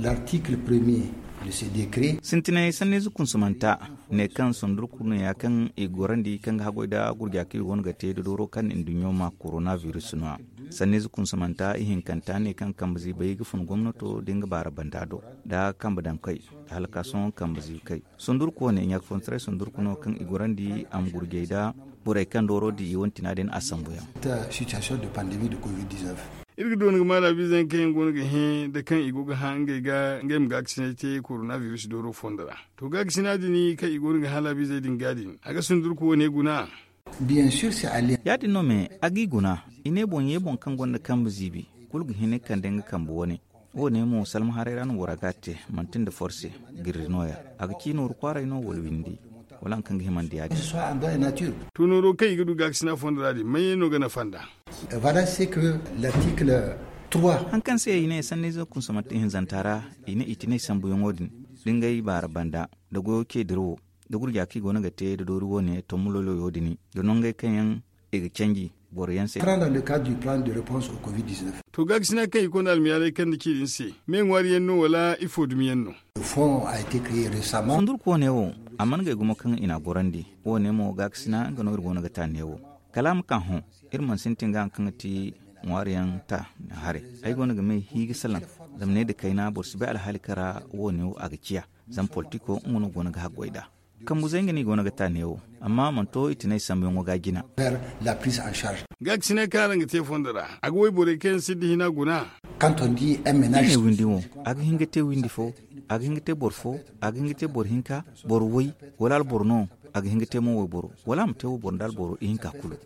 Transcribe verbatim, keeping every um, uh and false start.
L'article premier de ce décret. Sintinay sanniize kunsumanta ne kaŋ sundurku no ya kaŋ i gorandi kaŋ ga haggoy nda gurja kaŋ i go no ga te da dooro kaŋ nduɲɲo ma koronabiris no ya. Sanniize kunsumanta ihinkanta ne kaŋ kambe ziibay ga fun gomnato da nga baara banda do, da kambe daŋ kay, da halakaasoŋ kambe ziibi kay. Sundurku wane ɲaaka fun taray sundurku no kaŋ i gorandi a ma gurjay nda borey kaŋ dooro di i wane tina din a sambu yaŋ. Iri ga doona ga maala biize yaŋ kaŋ yaŋ go no ga hẽ nda kaŋ i go ga hã ngey ga ngey ma gaakasinay te koronabiris dooro fondo ra. To gaakasina din kaŋ i go no ga hã laabiizey din ga din a ga sundurku wane guna. Ya- din no me a g'i guna. I ne boŋ ye boŋ kaŋ gonda kambe ziibi kulu ga hin ga kande nga kambe wane. Wo- ne mo salma haray ra no bora ga a te, manti nda forse. Girri no- ya a ga ci nooru kwaaray no wala windi, wala hari kaŋ ga himandi ya- din. To nooro kaŋ i ga du gaakasina fondo ra din maɲey no ga nafa nd'a? Haŋ kaŋ se i ne sanniize kunsumanta hinzanta ra, i ne i tinay sambuyaŋo din, da ngey baara banda, da goyo ceediro wo, da gurja kaŋ i go no ga te da doori wo- ne tommu loyloyo din, da nongey kaŋ yaŋ i ga canji boro yaŋ se. To gaakasina kaŋ i konda almiyaalay kaŋ ni ci din se, me ŋwaari yaŋ no wala ifo dumi yaŋ no? Sundurku wane wo, a mana gay gumo kaŋ i n'a gorandi. Wo- ne mo gaakasina nga no iri go no ga ta neewo. Kala a ma ka hõ, iri mana sintin ga hari kaŋ ga ti ŋwaari yaŋ ta haray. Ay go no ga may hi ga salaŋ, zama ne nda kayna boro si bay alhaali kaŋ ra wo- ne wo a ga ciya. Zama politiko nga no go no ga haggoy nd'a. Kambuzey nga no i go no ga ta neewo, amma a mana to i tinay sambuyaŋo ga a jina. Gaakasinay kaŋ araŋ ga te fondo ra, a ga wayborey kaŋ yaŋ sinda hina guna? Kaŋ to ni di m n h ne windi wo, a ga hin ga te windi fo, a ga hin ga te boro fo, a ga hin ga te boro hinka, boro way, wala alboro no, a ga hin ga te mo wayboro, wala a ma te wayboro nda alboro ihinka kulu.